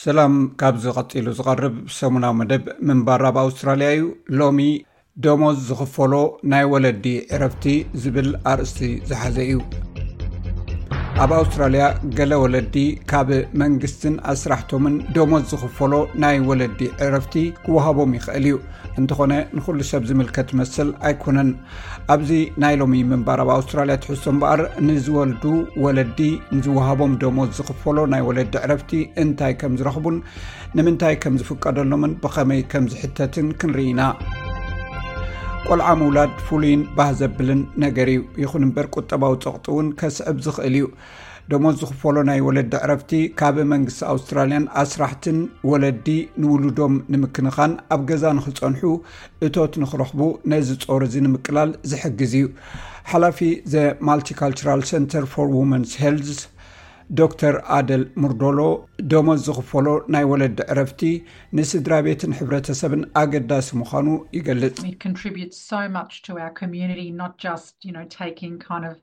ሰላም። ካብዚ ቀጺሉ ዝቐርብ ሰሙናዊ መደብ ምንባር ኣብ ኣውስትራልያ እዩ። ሎሚ ደሞዝ ዝኽፈሎ ናይ ወለዲ ዕረፍቲ ዝብል ኣርእስቲ ዝሓዘ እዩ። ኣብ ኣውስትራልያ ገለ ወለዲ ካብ መንግስትን ኣስራሕቶምን ደሞዝ ዝኽፈሎ ናይ ወለዲ ዕረፍቲ ክወሃቦም ይኽእል እዩ። እንተኾነ ንኹሉ ሰብ ዝምልከት መስል ኣይኮነን። ኣብዚ ናይ ሎሚ ምንባር ኣብ ኣውስትራልያ ትሕዝቶ እምበኣር፣ ንዝወልዱ ወለዲ ንዝወሃቦም ደሞዝ ዝኽፈሎ ናይ ወለዲ ዕረፍቲ እንታይ ከም ዝረኽቡን ንምንታይ ከም ዝፍቀደሎምን ብኸመይ ከም ዝሕተትን ክንርኢ ኢና። ቆልዓ ምውላድ ፍሉይን ባህ ዘብልን ነገር እዩ። ይኹን እምበር ቁጠባዊ ጸቕጢ እውን ከስዕብ ዝኽእል እዩ። ደሞዝ ዝኽፈሎ ናይ ወለዲ ዕረፍቲ ካብ መንግስቲ ኣውስትራልያን ኣስራሕትን ወለዲ ንውሉዶም ንምክንኻን ኣብ ገዛ ንኽጸንሑ እቶት ንኽረኽቡ ነዚ ጾር እዚ ንምቅላል ዝሕግዝ እዩ። ሓላፊ The Multicultural Centre for Women's Health ዶክተር ኣደል ሙርዶሎ፣ ደሞዝ ዝኽፈሎ ናይ ወለዲ ዕረፍቲ ንስድራ ቤትን ሕብረተሰብን ኣገዳሲ ምዃኑ ይገልጽ። It contributes so much to our community, not just, you know, taking kind of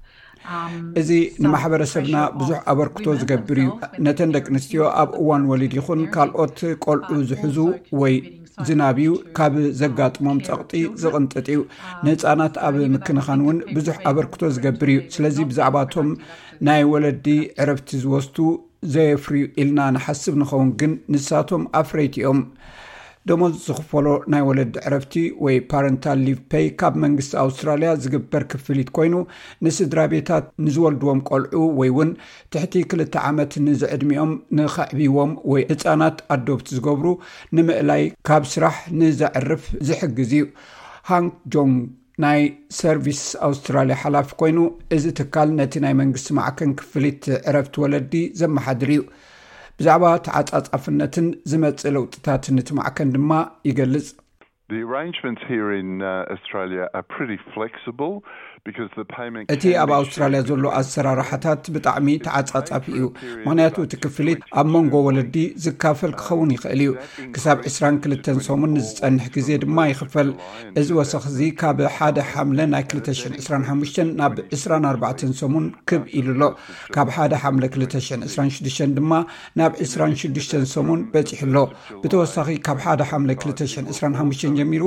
um, እዚ ንማሕበረሰብና ብዙሕ ኣበርክቶ ዝገብር እዩ። ነተን ደቂ ኣንስትዮ ኣብ እዋን ወሊድ ይኹን ካልኦት ቆልዑ ዝሕዙ ወይ ዝናብዩ ካብ ዘጋጥሞም ጸቕጢ ዝቕንጥጥ እዩ። ንህፃናት ኣብ ምክንኻን እውን ብዙሕ ኣበርክቶ ዝገብር እዩ። ስለዚ ብዛዕባቶም ናይ ወለዲ ዕረፍቲ ዝወስዱ ዘየፍርዩ ኢልና ንሓስብ ንኸውን፣ ግን ንሳቶም ኣፍረይቲ እዮም። ደሞዝ ዝኽፈሎ ናይ ወለዲ ዕረፍቲ ወይ ፓረንታል ሊቭ ፔይ ካብ መንግስቲ ኣውስትራልያ ዝግበር ክፍሊት ኮይኑ፣ ንስድራ ቤታት ንዝወልድዎም ቆልዑ ወይ እውን ትሕቲ ክልተ ዓመት ንዝዕድሚኦም ንኸዕብይዎም ወይ ህፃናት ኣዶፕት ዝገብሩ ንምእላይ ካብ ስራሕ ንዘዕርፍ ዝሕግዝ እዩ። ሃንክ ጆንግ ናይ ሰርቪስ ኣውስትራልያ ሓላፊ ኮይኑ፣ እዚ ትካል ነቲ ናይ መንግስቲ ማዕከን ክፍሊት ዕረፍቲ ወለዲ ዘመሓድር እዩ። ብዛዕባ ተዓጻጻፍነትን ዝመጽእ ለውጥታትን እቲ ማዕከን ድማ ይገልጽ። The arrangements here in uh, Australia are pretty flexible because the payment እቲ ኣብ ኣውስትራልያ ዘሎ ኣሰራርሓታት ብጣዕሚ ተዓጻጻፊ እዩ። ምክንያቱ እቲ ክፍሊት ኣብ መንጎ ወለዲ ዝካፈል ክኸውን ይኽእል እዩ። ክሳብ ዕስራን ክልተን ሰሙን ንዝጸንሕ ግዜ ድማ ይኽፈል። እዚ ወሰኽ እዚ ካብ ሓደ ሓምለ ናይ ክልተ ሽሕን ዕስራን ሓሙሽተን ናብ ዕስራን ኣርባዕተን ሰሙን ክብ ኢሉ ኣሎ። ካብ ሓደ ሓምለ ክልተ ሽሕን ዕስራን ሽዱሽተን ድማ ናብ ዕስራን ሽዱሽተን ሰሙን በጺሑ ኣሎ። ብተወሳኺ ካብ ሓደ ሓምለ ክልተ ሽሕን ዕስራን ሓሙሽተን ጀሚሩ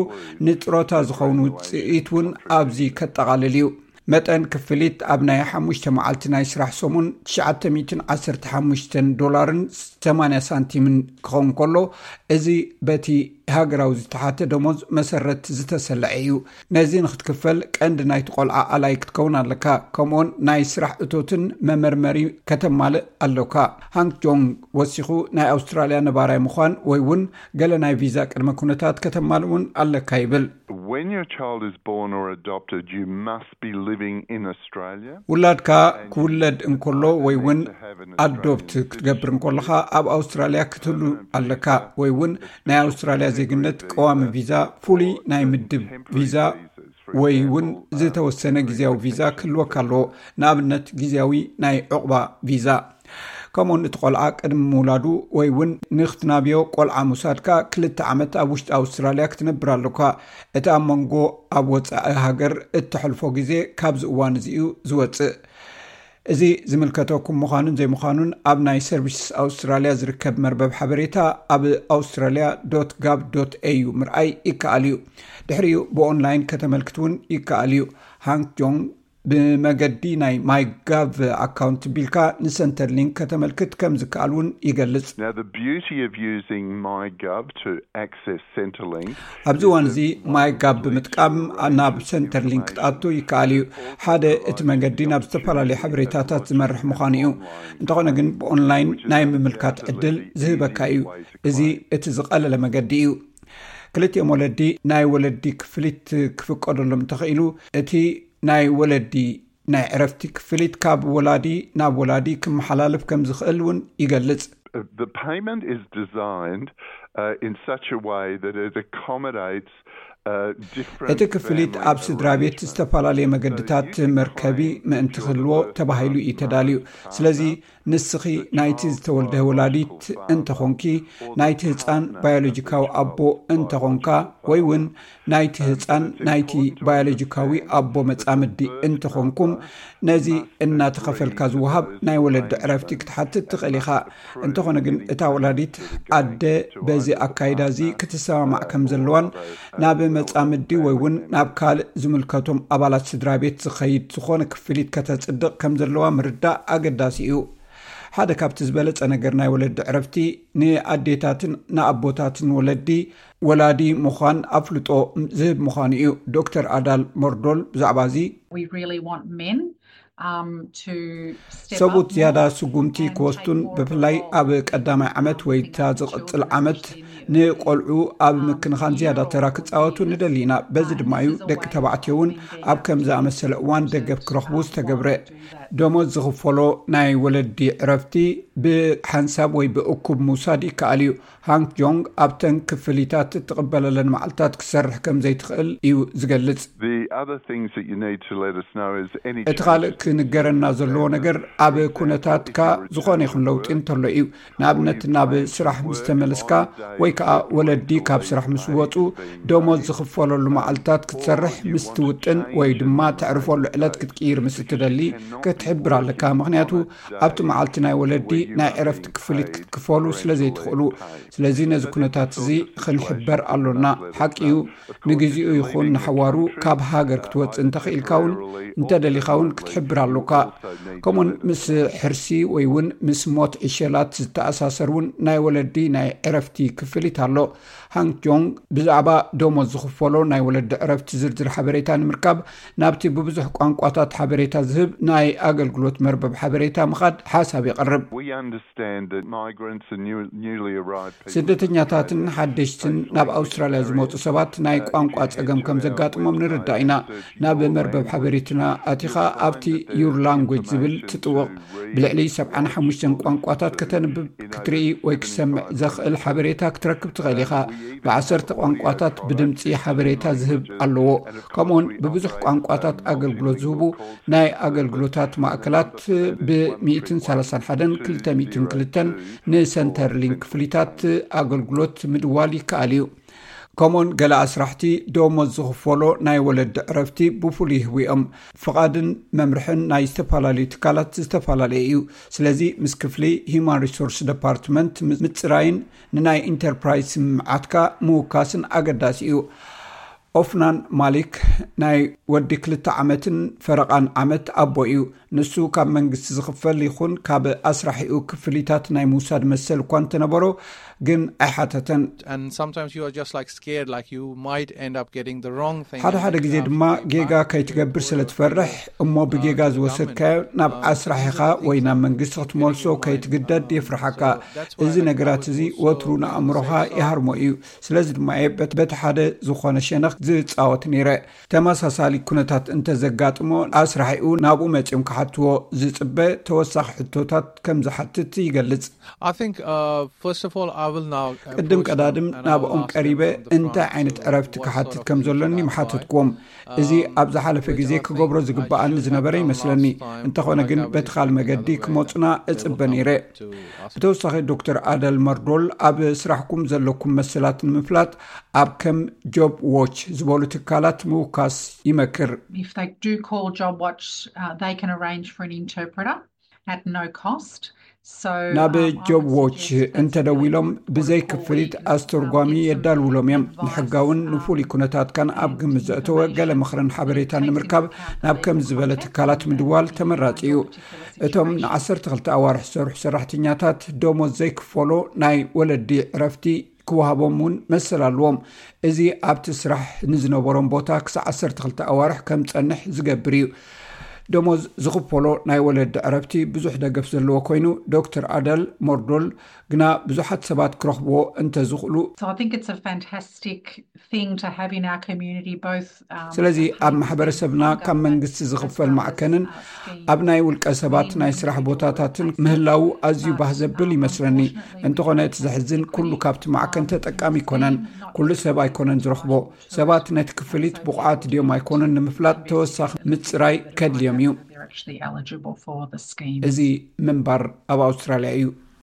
ንጥሮታ ዝኸውን ውጽኢት እውን ኣብዚ ከጠቓልል እዩ። መጠን ክፍሊት ኣብ ናይ ሓሙሽተ መዓልቲ ናይ ስራሕ ሰሙን ትሽዓተ ሚእትን ዓሰርተ ሓሙሽተን ዶላርን ሰማንያ ሳንቲምን ክኸውን ከሎ፣ እዚ በቲ ሃገራዊ ዝተሓተ ደሞዝ መሰረት ዝተሰለዐ እዩ። ነዚ ንክትክፈል ቀንዲ ናይቲ ቆልዓ ኣላይ ክትከውን ኣለካ። ከምኡውን ናይ ስራሕ እቶትን መመርመሪ ከተማልእ ኣለካ። ሃንክ ጆንግ ወሲኹ፣ ናይ ኣውስትራልያ ነባራይ ምዃን ወይ እውን ገለ ናይ ቪዛ ቅድመ ኩነታት ከተማልእ እውን ኣለካ ይብል። When your child is born or adopted, you must be living in Australia. ውላድካ ክውለድ እንከሎ ወይ እውን ኣዶፕት ክትገብር እንከለኻ ኣብ ኣውስትራልያ ክትህሉ ኣለካ፣ ወይ እውን ናይ ኣውስትራልያ ዜግነት ቀዋሚ ቪዛ፣ ፍሉይ ናይ ምድብ ቪዛ ወይ እውን ዝተወሰነ ግዜያዊ ቪዛ ክህልወካ ኣለዎ። ንኣብነት ግዜያዊ ናይ ዕቑባ ቪዛ። ከምኡውን እቲ ቆልዓ ቅድሚ ምውላዱ ወይ እውን ንክትናብዮ ቆልዓ ምውሳድካ ክልተ ዓመት ኣብ ውሽጢ ኣውስትራልያ ክትነብር ኣለካ። እቲ ኣብ መንጎ ኣብ ወፃኢ ሃገር እተሕልፎ ግዜ ካብዚ እዋን እዚ እዩ ዝወፅእ። እዚ ዝምልከተኩም ምዃኑን ዘይምዃኑን ኣብ ናይ ሰርቪስስ ኣውስትራልያ ዝርከብ መርበብ ሓበሬታ ኣብ australia.gov.au ምርኣይ ይከኣል እዩ። ድሕሪኡ ብኦንላይን ከተመልክት እውን ይከኣል እዩ። ሃንክ ጆንግ ብመገዲ ናይ ማይጋቭ ኣካውንት ቢልካ ንሰንተር ሊንክ ከተመልክት ከም ዝከኣል እውን ይገልጽ። Now, the beauty of using MyGov to access Centrelink ኣብዚ እዋን እዚ ማይጋቭ ብምጥቃም ናብ ሰንተር ሊንክ ክትኣቱ ይከኣል እዩ። ሓደ እቲ መገዲ ናብ ዝተፈላለዩ ሓበሬታታት ዝመርሕ ምዃኑ እዩ። እንተኾነ ግን ብኦንላይን ናይ ምምልካት ዕድል ዝህበካ እዩ። እዚ እቲ ዝቐለለ መገዲ እዩ። ክልቲኦም ወለዲ ናይ ወለዲ ክፍሊት ክፍቀደሎም እንተኽኢሉ፣ እቲ ናይ ወለዲ ናይ ዕረፍቲ ክፍሊት ካብ ወላዲ ናብ ወላዲ ክመሓላለፍ ከም ዝኽእል እውን ይገልጽ። The payment is designed uh, in such a way that it accommodates uh, different እቲ ክፍሊት ኣብ ስድራ ቤት ዝተፈላለየ መገድታት መርከቢ ምእንቲ ክህልዎ ተባሂሉ እዩ ተዳልዩ። ስለዚ ንስኺ ናይቲ ዝተወልደ ወላዲት እንተኾንኪ፣ ናይቲ ህፃን ባዮሎጂካዊ ኣቦ እንተኾንካ፣ ወይ እውን ናይቲ ህፃን ናይቲ ባዮሎጂካዊ ኣቦ መፃምዲ እንተኾንኩም፣ ነዚ እናተኸፈልካ ዝወሃብ ናይ ወለዲ ዕረፍቲ ክትሓትት ትኽእል ኢኻ። እንተኾነ ግን እታ ወላዲት ኣደ በዚ ኣካይዳ እዚ ክትሰማማዕ ከም ዘለዋን ናብ መፃምዲ ወይ እውን ናብ ካልእ ዝምልከቶም ኣባላት ስድራ ቤት ዝኸይድ ዝኾነ ክፍሊት ከተፅድቕ ከም ዘለዋ ምርዳእ ኣገዳሲ እዩ። ሓደ ካብቲ ዝበለጸ ነገር ናይ ወለዲ ዕረፍቲ ንኣዴታትን ንኣቦታትን ወለዲ ወላዲ ምዃን ኣፍልጦ ዝህብ ምዃኑ እዩ። ዶክተር ኣዳል ሞርዶል ብዛዕባ እዚ We really want men um, to step ሰቡት up ዝያዳ more ስጉምቲ and ክወስዱን take more of a ብፍላይ role ኣብ ቀዳማይ ዓመት ወይ እታ ዝቕጽል ዓመት ንቆልዑ ኣብ ምክንኻን ዝያዳ ተራ ክጻወቱ ንደሊ ኢና። በዚ ድማ እዩ ደቂ ተባዕትዮ እውን ኣብ ከም ዝኣመሰለ እዋን ደገፍ ክረኽቡ ዝተገብረ። ደሞዝ ዝኽፈሎ ናይ ወለዲ ዕረፍቲ ብሓንሳብ ወይ ብእኩብ ምውሳድ ይከኣል እዩ። ሃንግ ጆንግ ኣብተን ክፍሊታት እትቕበለለን መዓልታት ክሰርሕ ከም ዘይትኽእል እዩ ዝገልጽ። The other things that you need to let us know is any እቲ ካልእ ክንገረና ዘለዎ ነገር ኣብ ኩነታትካ ዝኾነ ይኹን ለውጢ እንተሎ እዩ። ንኣብነት ናብ ስራሕ ምስ ተመለስካ ወይ ከዓ ወለዲ ካብ ስራሕ ምስ ወፁ ደሞዝ ዝኽፈለሉ መዓልታት ክትሰርሕ ምስ ትውጥን ወይ ድማ ተዕርፈሉ ዕለት ክትቅይር ምስ እትደሊ ክትሕብር ኣለካ። ምክንያቱ ኣብቲ መዓልቲ ናይ ወለዲ ናይ ዕረፍቲ ክፍሊት ክትክፈሉ ስለ ዘይትኽእሉ፣ ስለዚ ነዚ ኩነታት እዚ ክንሕበር ኣሎና። ሓቂ እዩ፣ ንግዚኡ ይኹን ንሓዋሩ ካብ ሃገር ክትወፅእ እንተኽኢልካ እውን እንተደሊኻ እውን ክትሕብር ኣሎካ። ከምኡውን ምስ ሕርሲ ወይ እውን ምስ ሞት ዕሸላት ዝተኣሳሰር እውን ናይ ወለዲ ናይ ዕረፍቲ ክፍሊት ኣሎ። ሃንግ ጆንግ ብዛዕባ ደሞዝ ዝኽፈሎ ናይ ወለዲ ዕረፍቲ ዝርዝር ሓበሬታ ንምርካብ ናብቲ ብብዙሕ ቋንቋታት ሓበሬታ ዝህብ ናይ ኣገልግሎት መርበብ ሓበሬታ ምኻድ ሓሳብ የቕርብ። We understand that migrants and new, newly arrived people ስደተኛታትን ሓደሽትን ናብ ኣውስትራልያ ዝመፁ ሰባት ናይ ቋንቋ ፀገም ከም ዘጋጥሞም ንርዳእ ኢና። ናብ መርበብ ሓበሬትና ኣቲኻ ኣብቲ ዩር ላንጉጅ ዝብል ትጥውቕ ብልዕሊ ሰብዓን ሓሙሽተን ቋንቋታት ከተንብብ ክትርኢ ወይ ክሰምዕ ዘኽእል ሓበሬታ ክትረክብ ትኽእል ኢኻ። ብዓሰርተ ቋንቋታት ብድምፂ ሓበሬታ ዝህብ ኣለዎ። ከምኡውን ብብዙሕ ቋንቋታት ኣገልግሎት ዝህቡ ናይ ኣገልግሎታት ማእከላት ብ131 202 ንሰንተርሊንክ ክፍሊታት ኣገልግሎት ምድዋል ይከኣል እዩ። ከምኡውን ገለ ኣስራሕቲ ደሞዝ ዝኽፈሎ ናይ ወለዲ ዕረፍቲ ብፍሉይ ይህቡ እዮም። ፍቓድን መምርሕን ናይ ዝተፈላለዩ ትካላት ዝተፈላለየ እዩ። ስለዚ ምስ ክፍሊ ሂማን ሪሶርስ ደፓርትመንት ምፅራይን ንናይ ኢንተርፕራይዝ ስምምዓትካ ምውካስን ኣገዳሲ እዩ። ኦፍናን ማሊክ ናይ ወዲ ክልተ ዓመትን ፈረቓን ዓመት ኣቦ እዩ። ንሱ ካብ መንግስቲ ዝኽፈል ይኹን ካብ ኣስራሒኡ ክፍሊታት ናይ ምውሳድ መሰል እኳ እንተነበሮ ግን ኣይሓተተን። And sometimes you are just like scared, like you might end up getting the wrong thing. ሓደ ሓደ ግዜ ድማ ጌጋ ከይትገብር ስለ ትፈርሕ እሞ ብጌጋ ዝወሰድካዮ ናብ ኣስራሒኻ ወይ ናብ መንግስቲ ክትመልሶ ከይትግደድ የፍርሓካ። እዚ ነገራት እዚ ወትሩ ንኣእምሮኻ ይሃርሞ እዩ። ስለዚ ድማ እየ በቲ ሓደ ዝኾነ ሸነኽ ዝፃወት ነይረ። ተመሳሳሊ ኩነታት እንተዘጋጥሞ ኣስራሒኡ ናብኡ መፂኦም ክሓትዎ ዝፅበ ተወሳኺ ሕቶታት ከም ዝሓትት ይገልጽ። I think, uh, first of all, I will now. ቅድም ቀዳድም ናብኦም ቀሪበ እንታይ ዓይነት ዕረፍቲ ክሓትት ከም ዘለኒ ምሓተትክዎም። እዚ ኣብ ዝሓለፈ ግዜ ክገብሮ ዝግብኣኒ ዝነበረ ይመስለኒ። እንተኾነ ግን በቲ ካልእ መገዲ ክመፁና እፅበ ነይረ። ብተወሳኺ ዶክተር ኣደል መርዶል ኣብ ስራሕኩም ዘለኩም መሰላት ንምፍላጥ ኣብ ከም ጆብ ዎች ዝበሉ ትካላት ምውካስ ይመክር። If they do call Job Watch, uh, they can arrange for an interpreter at no cost. So, ናብ um, I ጆብ would ዎች suggest that እንተደዊሎም people ብዘይ would call ክፍሊት in, um, ኣስተርጓሚ get some የዳልውሎም እዮም። advice, ንሕጋውን um, ንፍሉይ ኩነታትካን ኣብ ግምት ዘእተወ ገለ ምኽርን ሓበሬታን ንምርካብ ናብ ከም ዝበለ ትካላት ምድዋል ተመራጺ እዩ። እቶም ን12 ኣዋርሕ ዝሰርሑ ሰራሕተኛታት ደሞዝ ዘይክፈሎ ናይ ወለዲ ዕረፍቲ ክወሃቦም እውን መሰል ኣለዎም። እዚ ኣብቲ ስራሕ ንዝነበሮም ቦታ ክሳዕ ዓሰርተ ክልተ ኣዋርሕ ከም ጸንሕ ዝገብር እዩ። ደሞዝ ዝኽፈሎ ናይ ወለዲ ዕረፍቲ ብዙሕ ደገፍ ዘለዎ ኮይኑ ዶክተር ኣደል ሞርዶል ግና ብዙሓት ሰባት ክረኽብዎ እንተዝኽእሉ So I think it's a fantastic thing to have in our community, both, um, ስለዚ ኣብ paying ማሕበረሰብና into the ካብ government መንግስቲ as ዝኽፈል well as, ማዕከንን uh, scheme ኣብ ናይ ውልቀ for ሰባት men ናይ to ስራሕ do ቦታታትን replacement. ምህላዉ ኣዝዩ But, ባህ ዘብል um, ይመስለኒ። unfortunately, እንተኾነ እቲ um, ዘሕዝን ኩሉ it's, ካብቲ ማዕከን um, ተጠቃሚ ኣይኮነን። been not ኩሉ ሰብ ኣይኮነን ዝረኽቦ። ሰባት ነቲ ክፍሊት ብቑዓት ድዮም ኣይኮኑን ንምፍላጥ ተወሳኺ ምፅራይ ከድልዮም እዩ። They're actually eligible for the scheme. እዚ ምንባር ኣብ ኣውስትራልያ እዩ